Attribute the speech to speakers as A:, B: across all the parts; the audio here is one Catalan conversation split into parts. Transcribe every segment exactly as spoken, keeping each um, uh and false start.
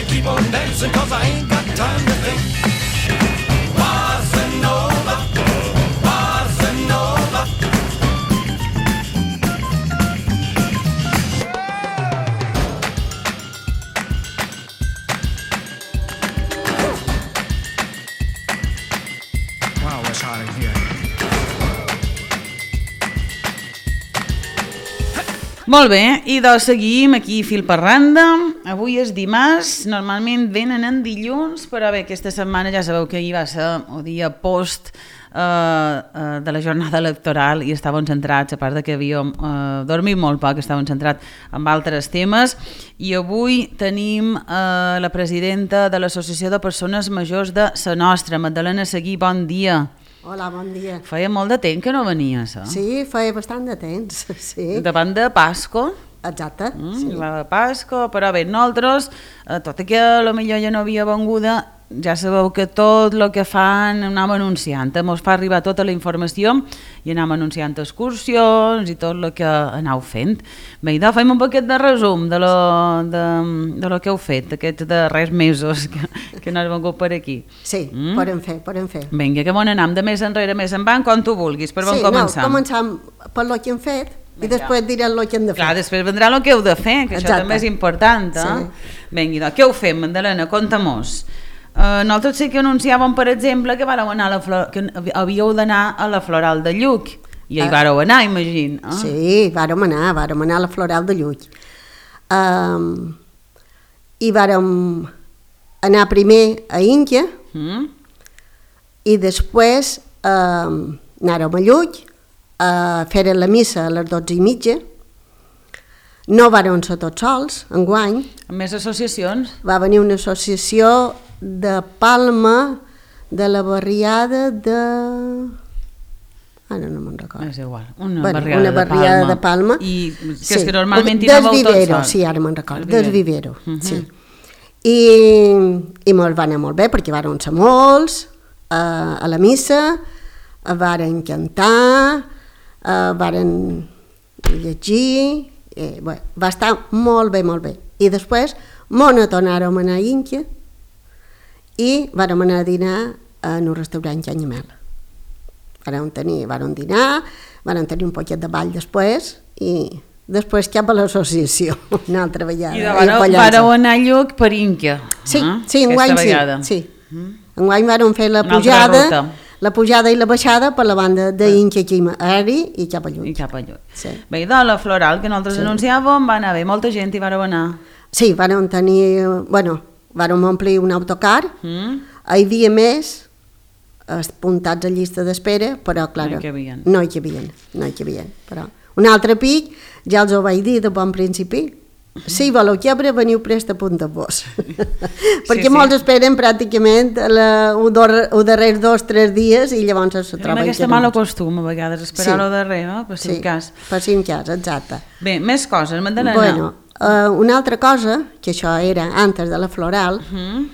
A: keep on dancing, cause I ain't got time to think. Bossa Nova, Bossa Nova.
B: Wow, it's hot in here.
C: Molt bé, i doncs seguim aquí fil per randa. Avui és dimarts, normalment venen en dilluns, però bé, aquesta setmana ja sabeu que ahir va ser el dia post eh, eh, de la jornada electoral i estàvem centrats, a part de que havíem eh, dormit molt poc, estàvem centrats en altres temes, i avui tenim eh, la presidenta de l'Associació de Persones Majors de Sa Nostra, Magdalena Seguí, bon dia.
D: Hola, bon dia.
C: Feia molt de temps que no venies, eh?
D: Sí, feia bastant de temps, sí.
C: Davant de Pasco.
D: Exacte,
C: Mm,
D: sí.
C: la de Pasco, però bé, nosaltres, eh, tot i que potser ja no havia venguda, ja sabeu que tot el que fan anem anunciant, ens fa arribar tota la informació i anem anunciant excursions i tot el que aneu fent. Bé, idò, fem un poquet de resum de lo, de, de lo que heu fet aquests darrers mesos que, que no has vengut per aquí.
D: Sí,
C: Mm?
D: podem fer, podem fer.
C: Vinga, que bon anem de més enrere, més en van, quan tu vulguis, per on
D: sí,
C: començar.
D: no, començam per lo que hem fet i
C: Vinga.
D: després diré el que hem de fer.
C: Clar, després vendrà el que heu de fer, que
D: Exacte.
C: això també és important, eh?
D: Sí.
C: Vinga, doncs, què heu fet, Magdalena? Conta-mos. Uh, nosaltres sí que anunciàvem, per exemple, que, vareu anar a la flor... que havíeu d'anar a la Floral de Lluc. I hi
D: Ah.
C: vareu anar, imagino. Eh?
D: Sí, vàrem anar, vàrem anar a la Floral de Lluc. Um, I vàrem anar primer a Índia
C: Mm?
D: i després um, anàrem a Lluc a fer la missa a les dotze i mitja. No vàrem ser tots sols, enguany.
C: Amb més associacions?
D: Va venir una associació de Palma, de la barriada de... Ara no me'n recordo.
C: És igual, una
D: Bueno,
C: barriada,
D: una barriada
C: de,
D: de Palma.
C: I que
D: Sí.
C: és que normalment hi
D: Des
C: anàveu tots
D: Vivero,
C: sols.
D: sí, ara me'n recordo,
C: Des
D: des Vivero,
C: Mhm.
D: sí. I, i molt, va anar molt bé, perquè varen ser molts a, a la missa, varen cantar, eh, varen llegir, eh, bé, va estar molt bé, molt bé. I després mos tornàrem a anar a Índia i vàrem anar a dinar en un restaurant Canyamel. Vàrem tenir, vàrem dinar, vàrem tenir un poquet de ball després i després cap a l'associació, una altra vegada.
C: I de
D: a
C: vareu,
D: Pollença.
C: vareu anar a Lluc per Inca.
D: Sí,
C: eh?
D: sí,
C: Aquesta
D: enguany sí,
C: vegada.
D: sí. Enguany vàrem fer la
C: Una altra
D: pujada,
C: ruta.
D: la pujada i la baixada per la banda d'Inca aquí a Ari i cap a
C: I
D: Lluc.
C: cap a Lluc.
D: Sí.
C: Bé, i de la Floral, que nosaltres
D: Sí.
C: anunciàvem, va anar bé, molta gent hi vareu anar.
D: Sí, vàrem tenir, bueno, vàrem omplir un autocar,
C: Mm?
D: hi havia més apuntats a llista d'espera, però clar,
C: No hi cabien.
D: no hi cabien, no hi cabien, però un altre pic, ja els ho vaig dir de bon principi, si voleu quebre, veniu prest a punta-vos. Perquè
C: sí.
D: molts esperen pràcticament la, o, dor, o darrers dos o tres dies i llavors se
C: Tenim
D: troben
C: aquesta
D: que no.
C: mala costum, a vegades, esperar-ho
D: Sí.
C: darrere, per si
D: Sí,
C: un cas.
D: per si un cas, exacte.
C: Bé, més coses, Magdalena.
D: Bueno, uh, una altra cosa, que això era antes de la Floral,
C: Mm?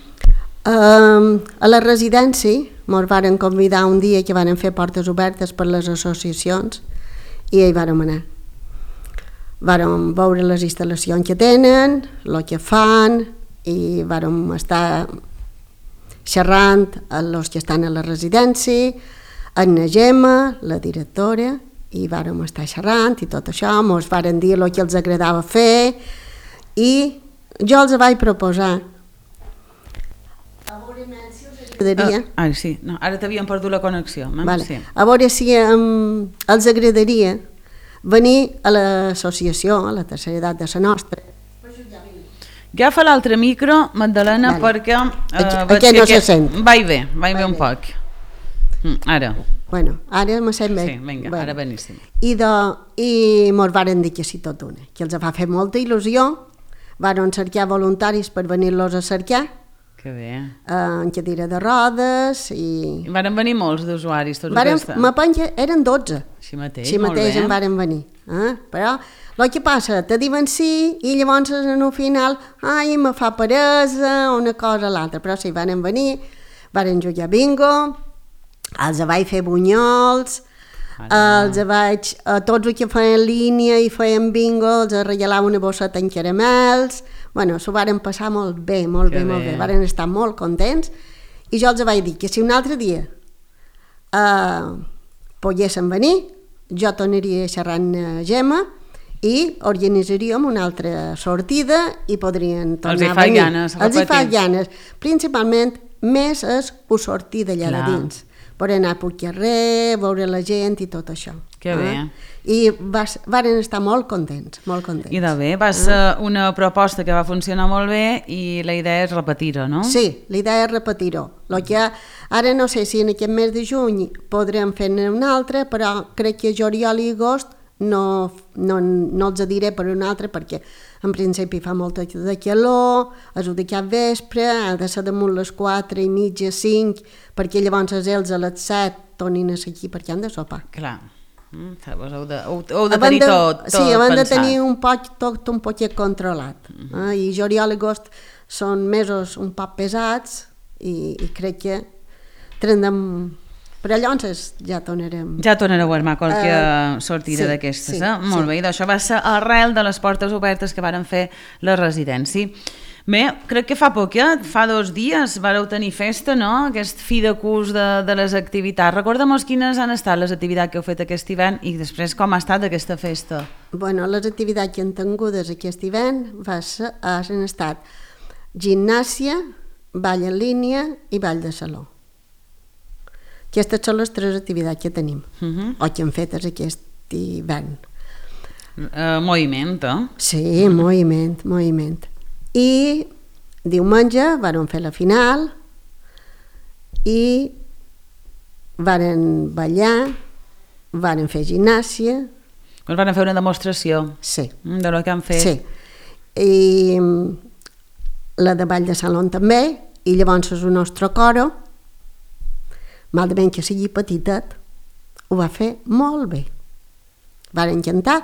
D: uh, a la residència ens varen convidar un dia que van fer portes obertes per les associacions i hi vàrem anar. Vàrem veure les instal·lacions que tenen, el que fan, i vàrem estar xerrant amb els que estan a la residència, amb la Gemma, la directora, i vàrem estar xerrant i tot això, ens varen dir el que els agradava fer, i jo els vaig proposar agradaria,
C: Ah, ah, sí, no, ara t'havíem perdut la connexió. Eh?
D: vale,
C: Sí.
D: a veure si um, els agradaria venir a l'associació, a la tercera edat de la nostra.
C: Agafa l'altre micro, Magdalena,
D: Vale.
C: perquè... eh,
D: Aquí-
C: veig
D: aquí
C: que
D: no se sent.
C: Vaig bé, vaig bé
D: Vai
C: un
D: bé.
C: poc. Mm, ara,
D: Bueno, ara me sent bé.
C: sí, vinga,
D: Bueno.
C: ara beníssim.
D: I, de, i mos varen dir que sí tot una, que els va fer molta il·lusió, varen cercar voluntaris per venir-los a cercar,
C: Que bé.
D: eh, en cadira de rodes, i...
C: I varen venir molts d'usuaris, tots
D: Varen,
C: aquesta.
D: me penja, eren dotze.
C: Així mateix,
D: Així
C: molt
D: mateix
C: bé.
D: en varen venir. Eh? Però el que passa, te diuen sí i llavors en un final, ai, me fa peresa, una cosa o l'altra, però sí, varen venir, varen jugar bingo, els vaig fer bunyols, Els vaig, a tots els que feien línia i feien bingo, els regalava una bosseta en caramels. Bueno, s'ho varen passar molt bé, molt
C: Que
D: bé, molt
C: bé.
D: bé. Varen estar molt contents. I jo els vaig dir que si un altre dia eh, poguessin venir, jo tornaria xerrant a Gemma i organitzaríem una altra sortida i podrien tornar
C: Els hi
D: a
C: fa
D: venir.
C: ganes,
D: Els hi fa
C: repetir.
D: ganes. Principalment, més és ho sortir d'allà de
C: Clar.
D: dins. Per anar pel carrer, veure la gent i tot això.
C: Que bé.
D: I vas, varen estar molt contents, molt contents.
C: I de bé, va ser una proposta que va funcionar molt bé i la idea és repetir-ho, no?
D: Sí, la idea és repetir-ho. Lo que ara no sé si en aquest mes de juny podrem fer-ne un altre, però crec que juliol i agost no, no, no els diré per un altre perquè en principi fa molta de calor, és de cap vespre, ha de ser damunt les quatre i mitja, cinc, perquè llavors ells a les set tornin a ser aquí perquè han de sopar.
C: Clar. Mm, Vos heu de, heu, heu de
D: Abans
C: tenir tot, tot
D: sí, abans de
C: pensat.
D: tenir un poc, tot un poquet controlat. eh? I juliol i agost són mesos un poc pesats i, i crec que tindrem... Però llavors ja tornarem...
C: Ja tornareu a armar qualque
D: Eh,
C: sortida
D: sí,
C: d'aquestes,
D: sí,
C: eh? Molt
D: sí.
C: bé, i d'això va ser arrel de les portes obertes que varen fer la residència. Bé, crec que fa poquet, fa dos dies, vareu tenir festa, no? Aquest fi de curs de, de les activitats. Recorda'm quines han estat les activitats que heu fet aquest hivern i després com ha estat aquesta festa.
D: Bueno, les activitats que han tingudes aquest hivern va ser, han estat gimnàsia, ball en línia i ball de saló. Aquestes són les tres activitats que tenim,
C: Uh -huh.
D: o que hem fet aquest hivern.
C: uh, moviment, eh?
D: Sí, moviment, moviment. I diumenge varen fer la final i varen ballar, varen fer gimnàsia,
C: Us van fer una demostració
D: sí,
C: mm, de lo que han fet.
D: sí. I mm, la de ball de saló també, i llavors el nostre coro, malament que sigui petitet, ho va fer molt bé. Varen cantar,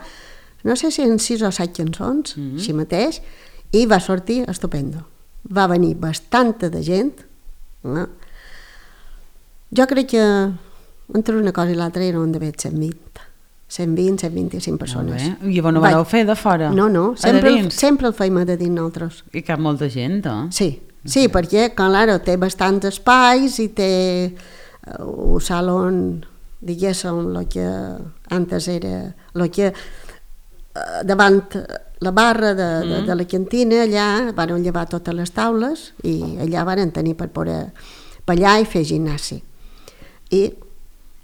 D: no sé si en sis o set cançons, mm -hmm. així mateix, i va sortir estupendo. Va venir bastanta de gent. No? Jo crec que entre una cosa i l'altra eren d'haver cent vint. cent vint, cent vint-i-cinc persones.
C: Molt bé. I vos no vareu fer de fora?
D: No, no,
C: A de
D: sempre, el,
C: dins?
D: sempre el feim a de dins nosaltres.
C: I cap molta gent, eh?
D: Sí, sí, perquè, claro, té bastants espais i té uh, un salon, diguéssim, el que antes era, el que uh, davant la barra de, de, de la cantina, allà van llevar totes les taules i allà van tenir per poder ballar i fer gimnàsia. I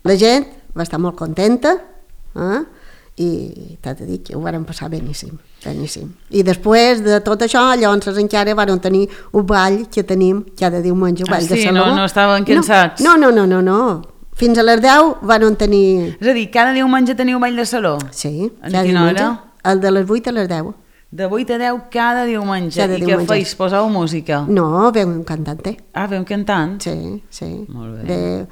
D: la gent va estar molt contenta, eh? I t'he de dir que ho varen passar beníssim, beníssim. I després de tot això, llavors encara varen tenir un ball que tenim cada diumenge, un
C: Ah,
D: ball de
C: sí,
D: saló.
C: no- no estaven cansats?
D: No, no, no, no, no. Fins a les deu varen tenir...
C: És a dir, cada diumenge teniu ball de saló?
D: Sí,
C: En
D: cada
C: quina
D: diumenge.
C: hora?
D: El de les vuit a les deu.
C: De vuit a deu cada diumenge.
D: Cada
C: I què
D: diumenge.
C: feis? Poseu música?
D: No, veu un cantante.
C: Ah, veu cantant?
D: Sí, sí.
C: Molt bé.
D: Ve,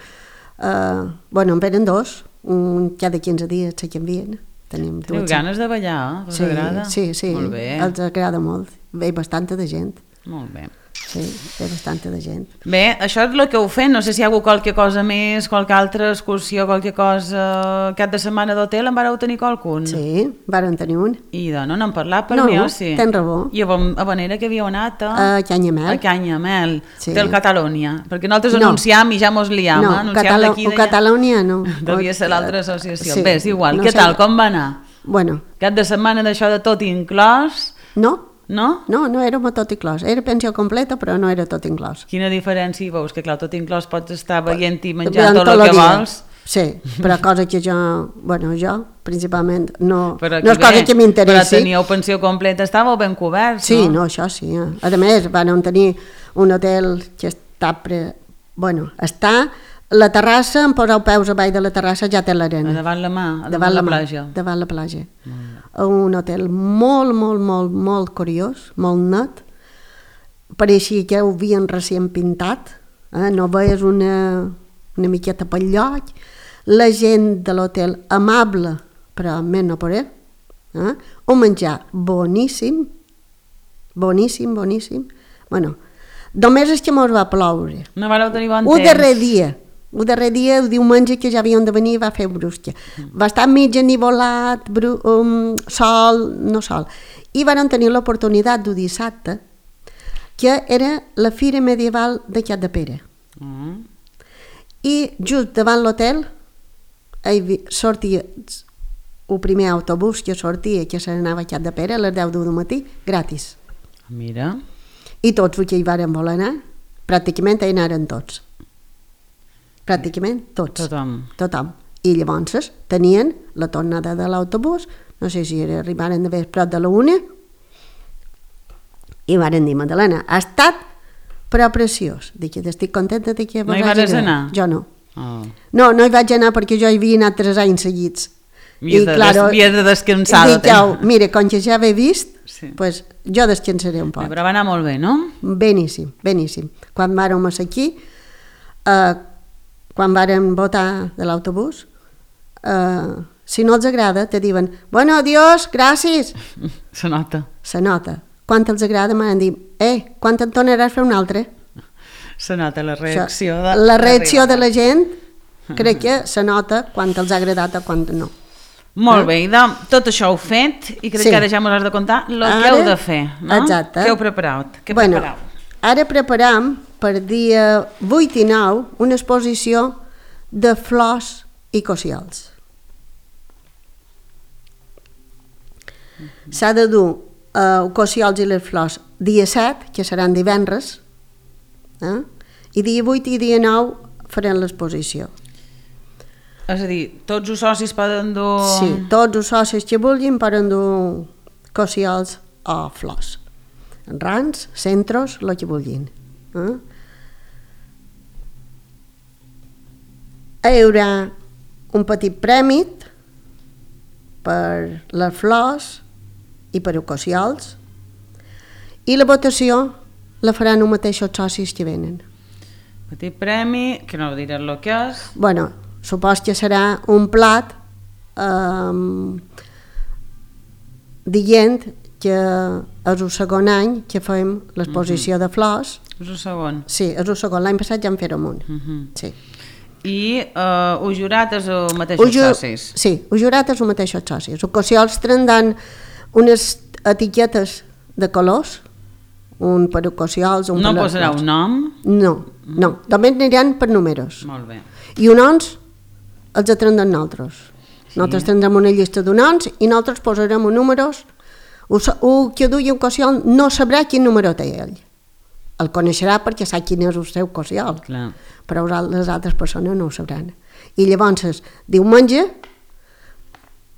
D: uh, bueno, en venen dos, un cada quinze dies se canvien. Tenim
C: Teniu
D: dues.
C: ganes de ballar? Eh? Us
D: Sí,
C: agrada?
D: sí, sí.
C: Molt bé.
D: Els agrada molt. Ve bastanta de gent.
C: Molt bé.
D: Sí, ve bastanta de gent.
C: Bé, això és el que heu fet. No sé si hi ha hagut qualque cosa més, qualque altra excursió, qualque cosa... Cap de setmana d'hotel en vareu tenir qualcun?
D: Sí, varen tenir un.
C: I de no n'han parlat per
D: No,
C: mi, o sí?
D: tens raó.
C: I a, Bon- a Vanera que havíeu anat a...
D: A Canyamel.
C: A Canyamel,
D: Sí.
C: del Catalunya. Perquè nosaltres
D: No.
C: anunciam i ja mos liam.
D: No,
C: eh? Anunciam
D: Catalo
C: d'aquí
D: o
C: d'allà.
D: Catalunya no.
C: Devia ser
D: O-
C: l'altra associació.
D: sí,
C: Bé, és igual.
D: no
C: Què
D: sé.
C: tal? Com va anar?
D: Bueno,
C: Cap de setmana d'això de tot inclòs,
D: no,
C: no?
D: no, no era tot inclòs. Era pensió completa, però no era tot inclòs.
C: Quina diferència hi veus? Que clar, tot inclòs pots estar veient i menjant
D: Durant
C: tot el
D: el
C: que
D: dia.
C: vols.
D: Sí, però cosa que jo, bueno, jo, principalment, no,
C: Però
D: no és
C: aquí
D: cosa
C: bé,
D: que m'interessi.
C: Però teníeu pensió completa, estàveu ben coberts,
D: Sí,
C: no?
D: no, això sí. Eh? A més, van tenir un hotel que està... Pre... Bueno, està... La terrassa, em poseu peus a baix de la terrassa, ja té
C: A
D: l'arena.
C: davant la mà, a davant, la,
D: mà,
C: platja.
D: Davant la platja. Un hotel molt, molt, molt, molt curiós, molt net. Pareixia que ho havien recient pintat. Eh? No veies una, una miqueta pel lloc. La gent de l'hotel amable, però més no poder. Eh? Un menjar boníssim, boníssim, boníssim. Bueno, només és que mos va ploure.
C: No vareu tenir bon
D: Un
C: temps.
D: darrer dia, el darrer dia, el diumenge, que ja havien de venir, va fer brusca. Va estar mig enivolat, bru, um, sol, no sol. I van tenir l'oportunitat d'un dissabte, que era la Fira Medieval de Capdepera. Mm. I just davant l'hotel sortia el primer autobús que sortia, que se n'anava a Capdepera a les deu del matí, gratis.
C: Mira.
D: I tots els que hi varen voler anar, pràcticament hi anaren tots. Pràcticament tots.
C: Tothom.
D: Tothom. I llavors tenien la tornada de l'autobús, no sé si arribaren de vespre prop de la una, i varen dir, Madalena, ha estat però preciós. Dic, estic contenta de que...
C: No hi vas anar?
D: Jo no.
C: Oh.
D: No, no hi vaig anar perquè jo hi havia anat tres anys seguits.
C: Havies de, claro, des, de descansar.
D: Dic, jau, mira, com que ja l'he vist,
C: sí.
D: pues, jo descansaré un poc.
C: Però va anar molt bé, no?
D: Beníssim, beníssim. Quan vàrem aquí, eh, quan vàrem votar de l'autobús, eh, si no els agrada, te diuen, bueno, adiós, gràcies.
C: Se nota.
D: Se nota. Quan els agrada m'han dit, eh, quan te'n tornaràs a fer un altre?
C: Se nota la reacció de...
D: La reacció de la gent, crec que se nota quan els ha agradat o quan no.
C: Molt eh? bé, i de, tot això heu fet i crec sí. que ara ja m'ho has de contar el que heu de fer, no?
D: Exacte.
C: Què heu preparat? Què
D: bueno,
C: prepareu?
D: Ara preparam per dia vuit i nou una exposició de flors i cociols. Mm-hmm. S'ha de dur uh, cociols i les flors dia set, que seran divendres, eh? I dia vuit i dia nou farem l'exposició.
C: És a dir, tots els socis poden dur...
D: Sí, tots els socis que vulguin poden dur cociols o flors. Rans, centros, el que vulguin. Eh? Hi haurà un petit premi per les flors i per els cociols, i la votació la faran els mateixos socis que venen.
C: Petit premi, que no diré el que és.
D: Bueno, supos que serà un plat eh, dient que és el segon any que fem l'exposició mm-hmm. de flors.
C: És el segon?
D: Sí, és el segon. L'any passat ja en fèrem un. Mm-hmm. Sí.
C: I eh, el jurat és el mateixos ju socis?
D: Sí, el jurat és el mateixos socis. Els cociols tindran unes etiquetes de colors, un per cociols, un
C: no
D: per... No
C: posarà un nom?
D: No, no. Només aniran per números.
C: Molt bé.
D: I uns noms els atendrem nosaltres. Sí. Nosaltres tindrem una llista de noms i nosaltres posarem números. El que duia un cociol no sabrà quin número té ell. El coneixerà perquè sap quin és el seu cociol.
C: Clar.
D: Però les altres persones no ho sabran. I llavors, diumenge,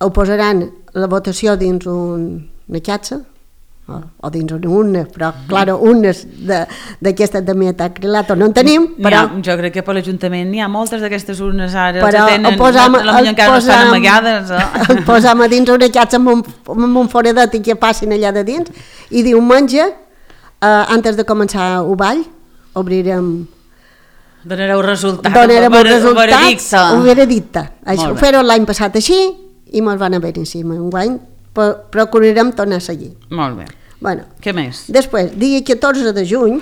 D: ho posaran la votació dins un, una xatxa, o, o dins una urna, però, clar, urnes d'aquestes de metacrilato no en tenim, però...
C: Ha, jo crec que per l'Ajuntament n'hi ha moltes d'aquestes urnes ara,
D: però
C: que tenen,
D: el posam,
C: la millor encara no estan amagades. Eh?
D: El posam a dins una xatxa amb un, amb un foradet i que passin allà de dins, i diumenge, eh, antes de començar el ball, obrirem...
C: Donareu resultat,
D: Donarem
C: el
D: resultats,
C: veredicte.
D: Un veredicte. Això ho fèrem l'any passat així i mos van haver encima. Un guany procurarem tornar a seguir.
C: Molt bé.
D: Bueno,
C: què més?
D: Després, dia catorze de juny,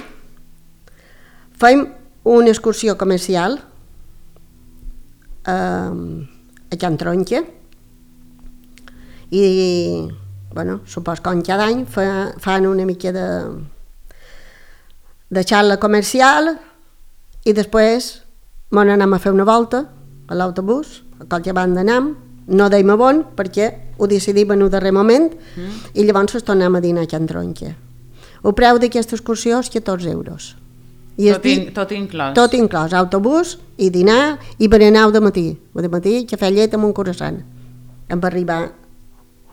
D: fem una excursió comercial eh, a Can Tronca i, bueno, supos que cada any fa, fan una mica de, de xarxa comercial i després m'on anem a fer una volta a l'autobús, a qualque banda anem, no deim a bon perquè ho decidim en un darrer moment mm. i llavors tornem a dinar a Can Tronca. El preu d'aquesta excursió és catorze euros. I
C: tot, in, tot inclòs?
D: Tot inclòs, autobús i dinar i berenar de matí. De matí, cafè llet amb un croissant. Hem d'arribar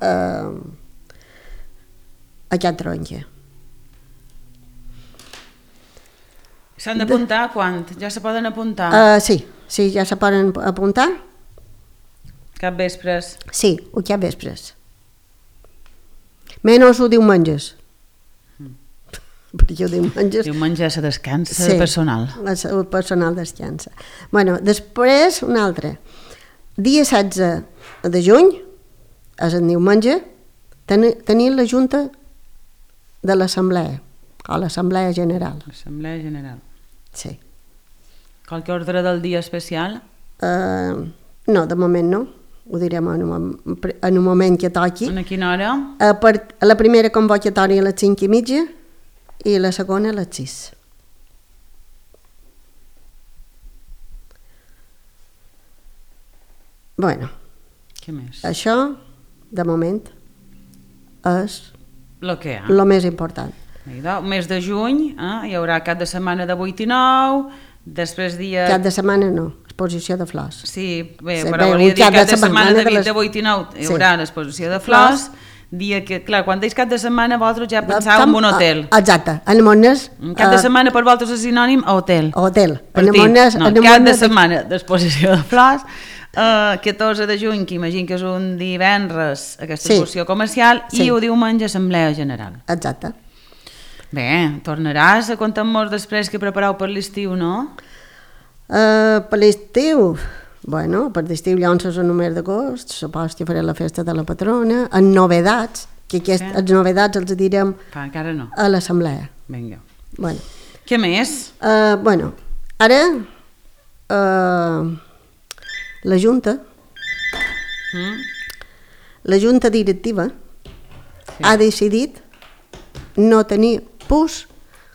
D: eh, a Can Tronca.
C: S'han d'apuntar quan? Ja se poden apuntar?
D: Uh, sí, sí, ja se poden apuntar.
C: Cap vespres?
D: Sí, o cap vespres. Menys o diumenges. Mm. Perquè diumenges...
C: Diumenge se descansa,
D: sí,
C: el personal.
D: El personal descansa. Bueno, després, un altre. Dia setze de juny, és el diumenge, ten, tenim la Junta de l'Assemblea, o l'Assemblea General.
C: L'Assemblea General.
D: Sí.
C: Qualque ordre del dia especial?
D: Uh, no, de moment no. Ho direm en un, en un moment que toqui.
C: A quina hora?
D: A, per, a la primera convocatòria a les cinc i mitja i la segona a les sis. Bueno,
C: Què més?
D: això, de moment, és
C: Lo que hi ha.
D: el més important.
C: Idò, mes de juny, eh? Hi haurà cap de setmana de vuit i nou, després dia...
D: Cap de setmana no, exposició de flors.
C: Sí, bé,
D: Sí,
C: però
D: bé,
C: volia
D: un
C: dir
D: cap
C: cap
D: de
C: de setmana
D: setmana
C: de,
D: de les-
C: de vuit i nou hi
D: Sí.
C: haurà l'exposició de flors, dia que, clar, quan deies cap de setmana vosaltres ja pensàveu en un hotel.
D: Ah, exacte, en Mones...
C: Un cap de setmana per vosaltres és sinònim a hotel.
D: Hotel.
C: Per
D: En
C: ti,
D: Mones...
C: no, cap de setmana d'exposició de flors, eh, catorze de juny, que imagino que és un divendres, aquesta
D: Sí.
C: exposició comercial,
D: Sí.
C: i ho diumenge assemblea general.
D: Exacte.
C: Bé, tornaràs a contar-nos després que prepareu per l'estiu, no?
D: Uh, per l'estiu, bueno, per l'estiu llavors és el número d'agost, supos que faré la festa de la patrona, en novedats, que aquests,
C: Sí.
D: els novedats els direm
C: Pa, encara no.
D: a l'assemblea.
C: Vinga.
D: Bueno,
C: Què més?
D: uh, bueno, ara uh, la Junta,
C: Mm?
D: la Junta Directiva
C: Sí.
D: ha decidit no tenir pus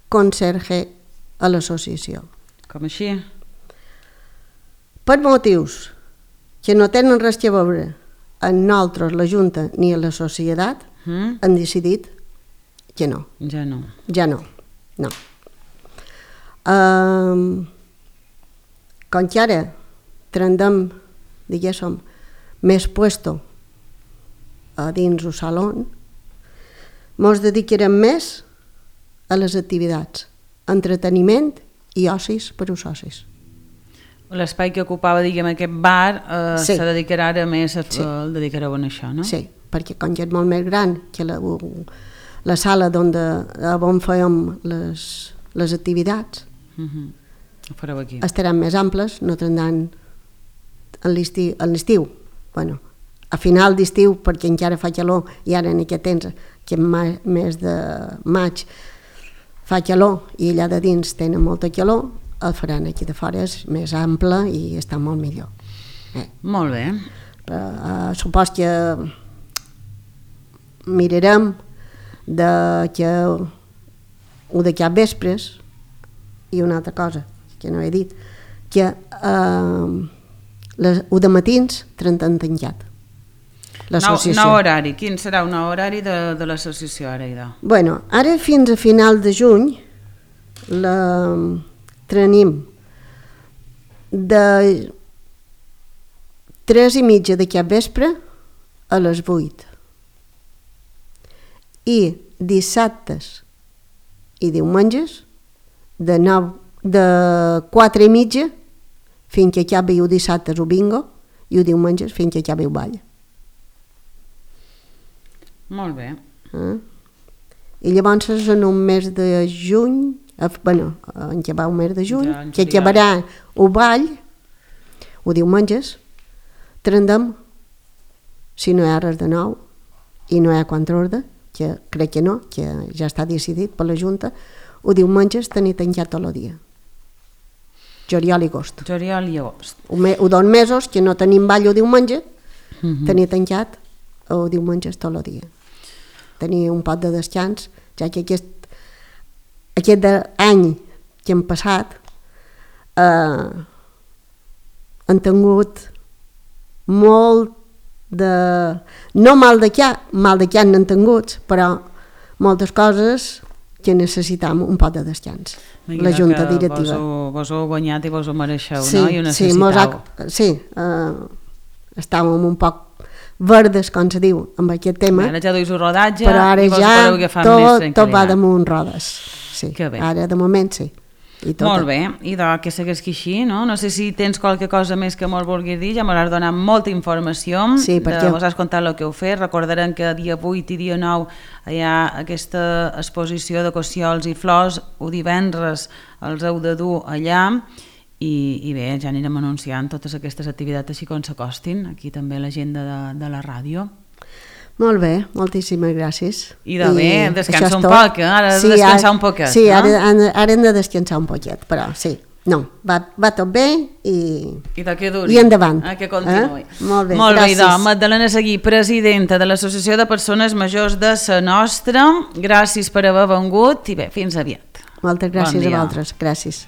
D: conserge a l'associació.
C: Com així?
D: Per motius que no tenen res a veure amb nosaltres, la Junta, ni a la societat,
C: Mm?
D: han decidit que no,
C: Ja no.
D: ja no, no. Um, com que ara trendem, diguéssim, més puesto a dins el saló, mos dedicarem més a les activitats, entreteniment i ocis per als socis.
C: L'espai que ocupava, diguem, aquest bar eh,
D: Sí.
C: se dedicarà ara més a,
D: Sí.
C: el dedicareu a això, no?
D: Sí, perquè com que és molt més gran que la, la sala on, de, on fèiem les, les activitats,
C: Mhm. Ho fareu aquí.
D: estaran més amples, no tindran a l'estiu, a l'estiu, bueno, a final d'estiu, perquè encara fa calor, i ara en aquest temps, que en ma, mes de maig fa calor i allà de dins tenen molta calor, el faran aquí de fora, és més ample i està molt millor. Eh.
C: Molt bé.
D: Uh, supos que mirarem de que ho de cap vespres i una altra cosa que no he dit, que uh, les, ho de matins trenten tancat
C: Nou,
D: l'associació.
C: nou horari. Quin serà un nou horari de, de l'associació ara, idò?
D: Bueno, ara fins a final de juny la tenim de tres i mitja de cap vespre a les vuit i dissabtes i diumenges de, nou, de quatre i mitja fins que acabi el dissabtes o bingo i el diumenges fins que acabi el ball.
C: Molt bé.
D: Eh? I llavors en un mes de juny, eh, bueno, en què va un mes de juny,
C: Ja, en
D: que
C: seria-
D: acabarà el ball, ho diumenges, trendem, si no hi ha res de nou i no hi ha contraordre, que crec que no, que ja està decidit per la Junta, ho diumenges tenir tancat tot el dia. Juliol i agost.
C: Juliol i agost.
D: Ho, me, ho dos mesos que no tenim ball el diumenge,
C: Mhm.
D: tenir tancat el diumenges tot el dia. Tenir un pot de descans, ja que aquest, aquest de any que hem passat eh, han tingut molt de... no mal de què, mal de què han tingut, però moltes coses que necessitam un pot de descans.
C: Vinga,
D: La Junta
C: que
D: Directiva.
C: Vos ho, vos ho heu guanyat i vos ho mereixeu,
D: Sí,
C: no? I ho
D: sí, mos
C: necessitau.
D: ha, sí eh, estàvem un poc verdes, com se diu, amb aquest tema,
C: Ara ja duis el rodatge
D: però ara
C: i vos
D: ja
C: podeu agafar més
D: tot, tot
C: tranquil·litat.
D: va damunt rodes. Sí.
C: Que bé.
D: Ara de moment sí. I tot.
C: Molt bé, i de que segueixi així, no? No sé si tens qualque cosa més que mos vulguis dir, ja m'hauràs donat molta informació,
D: Sí, perquè-
C: mos has contat el que heu fet, recordarem que dia vuit i dia nou hi ha aquesta exposició de cossiols i flors, o divendres els heu de dur allà, i, i bé, ja anirem anunciant totes aquestes activitats així com s'acostin, aquí també l'agenda de, de la ràdio.
D: Molt bé, moltíssimes gràcies.
C: I de bé, descansa
D: això és
C: un
D: tot.
C: poc, eh? Ara hem de descansar
D: ara-
C: un poquet,
D: Sí,
C: no?
D: ara, ara, ara hem de descansar un poquet, però sí. No, va, va tot bé i,
C: I de què duri.
D: i endavant.
C: Ah, que continuï.
D: Eh? Molt bé,
C: Molt bé,
D: gràcies.
C: idò. Magdalena Seguí, presidenta de l'Associació de Persones Majors de Sa Nostra. Gràcies per haver vengut i bé, fins aviat.
D: Moltes gràcies
C: Bon
D: a
C: dia.
D: vosaltres. Gràcies.